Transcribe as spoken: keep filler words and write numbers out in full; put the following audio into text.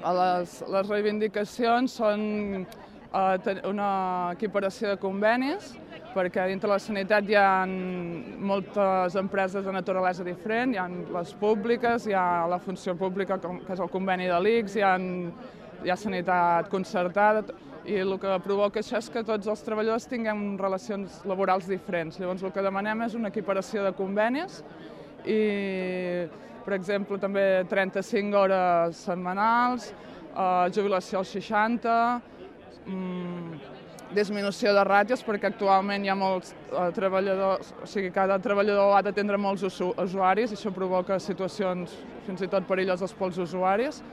Les, les reivindicacions són eh, una equiparació de convenis, perquè dintre la sanitat hi ha moltes empreses de naturalesa diferent, hi ha les públiques, hi ha la funció pública, que és el conveni de l'I C S, hi ha, hi ha sanitat concertada, i el que provoca això és que tots els treballadors tinguem relacions laborals diferents. Llavors el que demanem és una equiparació de convenis i, per exemple, també trenta-cinc hores setmanals, eh, jubilació als seixanta, mm, disminució de ràtios, perquè actualment hi ha molts eh, treballadors, o sigui, cada treballador ha d'atendre molts usuaris i això provoca situacions fins i tot perilloses pels usuaris.